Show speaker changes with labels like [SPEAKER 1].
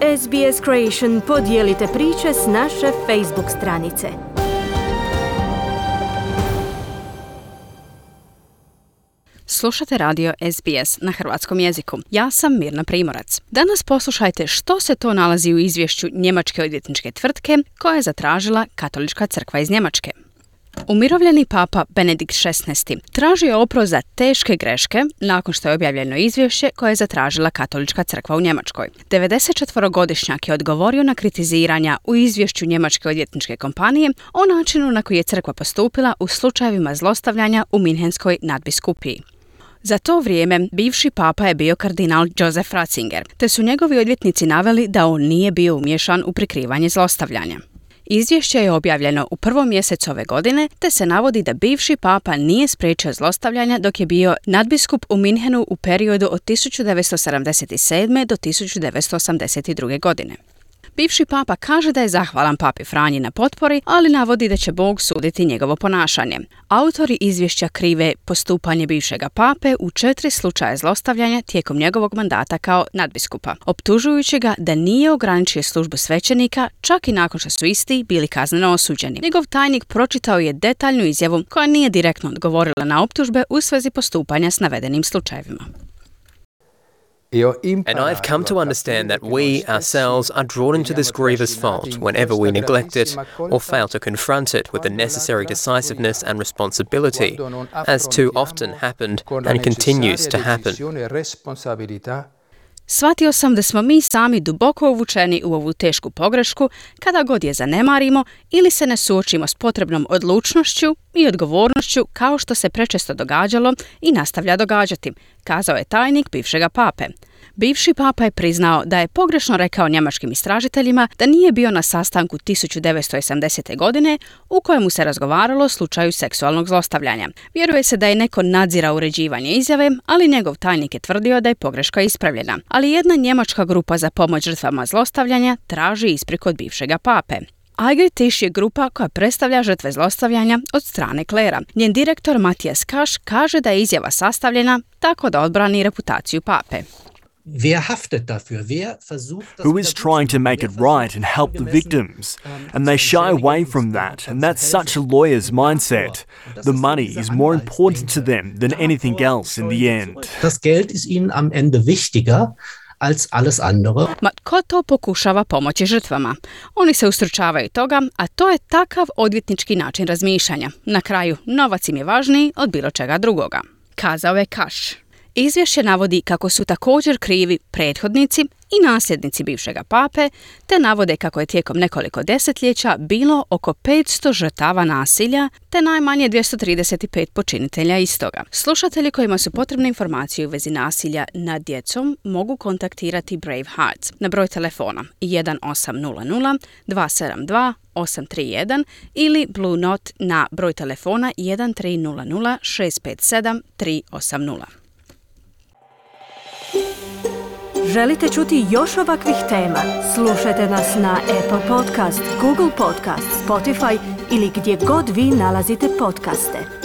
[SPEAKER 1] SBS Creation podijelite priče s naše Facebook stranice.
[SPEAKER 2] Slušate radio SBS na hrvatskom jeziku. Ja sam Mirna Primorac. Danas poslušajte što se to nalazi u izvješću njemačke odvjetničke tvrtke koja je zatražila Katolička crkva iz Njemačke. Umirovljeni papa Benedikt XVI tražio je oprost za teške greške nakon što je objavljeno izvješće koje je zatražila Katolička crkva u Njemačkoj. 94-godišnjak je odgovorio na kritiziranja u izvješću njemačke odvjetničke kompanije o načinu na koji je crkva postupila u slučajevima zlostavljanja u Minhenskoj nadbiskupiji. Za to vrijeme bivši papa je bio kardinal Josef Ratzinger, te su njegovi odvjetnici naveli da on nije bio umiješan u prikrivanje zlostavljanja. Izvješće je objavljeno u prvom mjesecu ove godine, te se navodi da bivši papa nije spriječio zlostavljanja dok je bio nadbiskup u Minhenu u periodu od 1977. do 1982. godine. Bivši papa kaže da je zahvalan papi Franji na potpori, ali navodi da će Bog suditi njegovo ponašanje. Autori izvješća krive postupanje bivšega pape u 4 slučaja zlostavljanja tijekom njegovog mandata kao nadbiskupa, optužujući ga da nije ograničio službu svećenika čak i nakon što su isti bili kazneno osuđeni. Njegov tajnik pročitao je detaljnu izjavu koja nije direktno odgovorila na optužbe u svezi postupanja s navedenim slučajevima.
[SPEAKER 3] And I've come to understand that we, ourselves, are drawn into this grievous fault whenever we neglect it or fail to confront it with the necessary decisiveness and responsibility, as too often happened and continues to happen.
[SPEAKER 2] Shvatio sam da smo mi sami duboko uvučeni u ovu tešku pogrešku kada god je zanemarimo ili se ne suočimo s potrebnom odlučnošću i odgovornošću kao što se prečesto događalo i nastavlja događati, kazao je tajnik bivšega pape. Bivši papa je priznao da je pogrešno rekao njemačkim istražiteljima da nije bio na sastanku 1980. godine u kojemu se razgovaralo o slučaju seksualnog zlostavljanja. Vjeruje se da je neko nadzirao uređivanje izjave, ali njegov tajnik je tvrdio da je pogreška ispravljena. Ali jedna njemačka grupa za pomoć žrtvama zlostavljanja traži ispriku od bivšega pape. Eigel Tisch je grupa koja predstavlja žrtve zlostavljanja od strane klera. Njen direktor Matthias Kasch kaže da je izjava sastavljena tako da odbrani reputaciju pape.
[SPEAKER 4] Who is trying to make it right and help the victims? And they shy away from that, and that's such a lawyer's mindset. The money is more important to them than anything else in the end.
[SPEAKER 5] Das Geld ist ihnen am Ende wichtiger als alles andere.
[SPEAKER 2] Ma tko to pokušava pomoći žrtvama? Oni se ustručavaju toga, a to je takav odvjetnički način razmišljanja. Na kraju, novac im je važniji od bilo čega drugoga, kazao je Kasch. Izvješće navodi kako su također krivi prethodnici i nasljednici bivšega pape, te navode kako je tijekom nekoliko desetljeća bilo oko 500 žrtava nasilja, te najmanje 235 počinitelja istoga. Slušatelji kojima su potrebne informacije u vezi nasilja nad djecom mogu kontaktirati Brave Hearts na broj telefona 1800 272 831 ili Blue Note na broj telefona 1300 657 380.
[SPEAKER 1] Želite čuti još ovakvih tema? Slušajte nas na Apple Podcast, Google Podcast, Spotify ili gdje god vi nalazite podcaste.